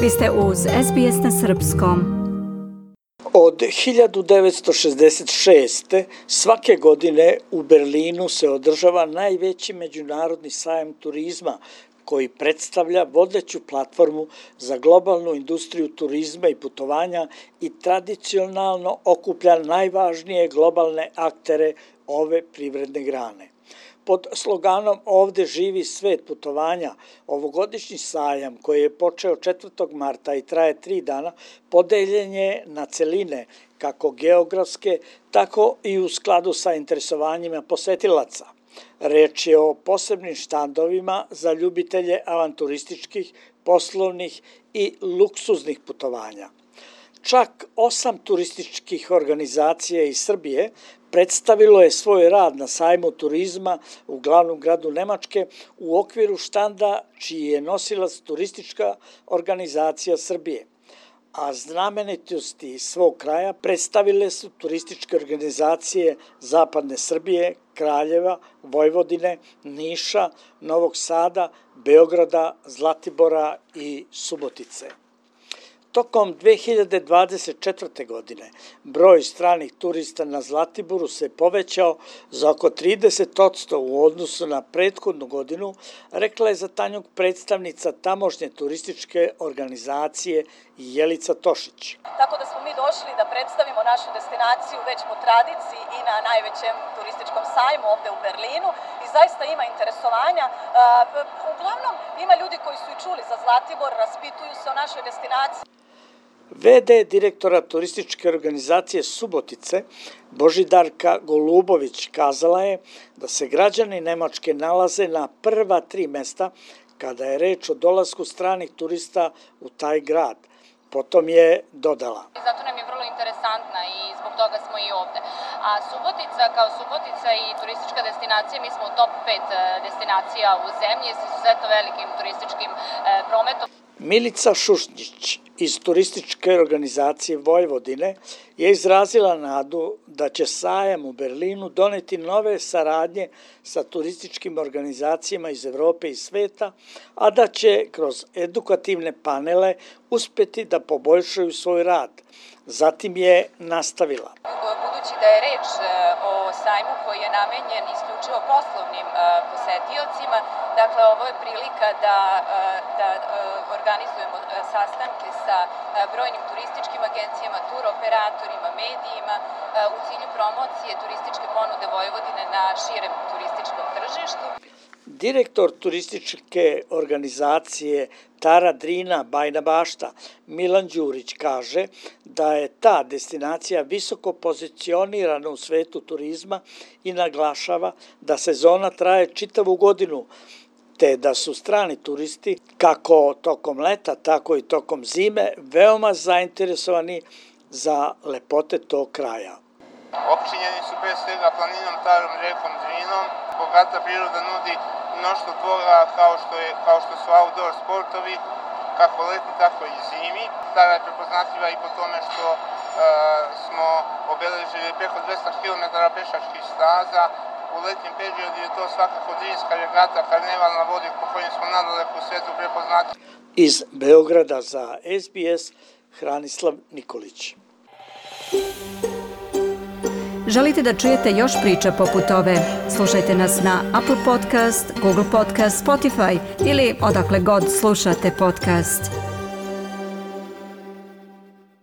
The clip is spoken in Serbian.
Vi ste uz SBS na srpskom. Od 1966. svake godine u Berlinu se održava najveći međunarodni sajam turizma koji predstavlja vodeću platformu za globalnu industriju turizma i putovanja i tradicionalno okuplja najvažnije globalne aktere ove privredne grane. Pod sloganom Ovde živi svet putovanja, ovogodišnji sajam koji je počeo 4. marta i traje 3 dana, podeljen je na celine, kako geografske, tako i u skladu sa interesovanjima posetilaca. Reč je o posebnim štandovima za ljubitelje avanturističkih, poslovnih i luksuznih putovanja. Čak 8 turističkih organizacija iz Srbije predstavilo je svoj rad na sajmu turizma u glavnom gradu Nemačke u okviru štanda čiji je nosilac turistička organizacija Srbije. A znamenitosti iz svog kraja predstavile su turističke organizacije Zapadne Srbije, Kraljeva, Vojvodine, Niša, Novog Sada, Beograda, Zlatibora i Subotice. Tokom 2024. godine broj stranih turista na Zlatiboru se povećao za oko 30% u odnosu na prethodnu godinu, rekla je za Tanjug predstavnica tamošnje turističke organizacije Jelica Tošić. Tako da smo mi došli da predstavimo našu destinaciju već po tradiciji i na najvećem turističkom sajmu ovde u Berlinu i zaista ima interesovanja. Uglavnom ima ljudi koji su i čuli za Zlatibor, raspituju se o našoj destinaciji. VD direktora turističke organizacije Subotice, Božidarka Golubović, kazala je da se građani Nemačke nalaze na prva 3 mesta kada je reč o dolasku stranih turista u taj grad. Potom je dodala. Zato nam je vrlo interesantna i zbog toga smo i ovde. A Subotica, kao Subotica i turistička destinacija, mi smo u top 5 destinacija u zemlji s izuzetno velikim turističkim prometom. Milica Šušnjić iz turističke organizacije Vojvodine je izrazila nadu da će sajam u Berlinu doneti nove saradnje sa turističkim organizacijama iz Evrope i sveta, a da će kroz edukativne panele uspeti da poboljšaju svoj rad. Zatim je nastavila. Budući da je reč o sajmu koji je namenjen isključivo poslovnim posetiocima, dakle ovo je prilika da organizujemo sastanke sa brojnim turističkim agencijama, tur operatorima, medijima u cilju promocije turističke ponude Vojvodine na širem turističkom tržištu. Direktor turističke organizacije Tara Drina Bajna Bašta Milan Đurić kaže da je ta destinacija visoko pozicionirana u svetu turizma i naglašava da sezona traje čitavu godinu, te da su strani turisti, kako tokom leta, tako i tokom zime, veoma zainteresovani za lepote tog kraja. Opčinjeni su pre svega planinom, Tarom, rekom Drinom. Bogata priroda nudi mnoštvo toga kao što su outdoor sportovi, kako leti, tako i zimi. Tara je prepoznatljiva i po tome što smo obeležili preko 200 km pešačkih staza. U letnjem periodu je to svakako Drinska regata, karneval na vodi po kojim smo nadaleko u svetu prepoznatljivi. Iz Beograda za SBS Hranislav Nikolić. Želite da čujete još priča poput ove? Slušajte nas na Apple Podcast, Google Podcast, Spotify ili odakle god slušate podcast.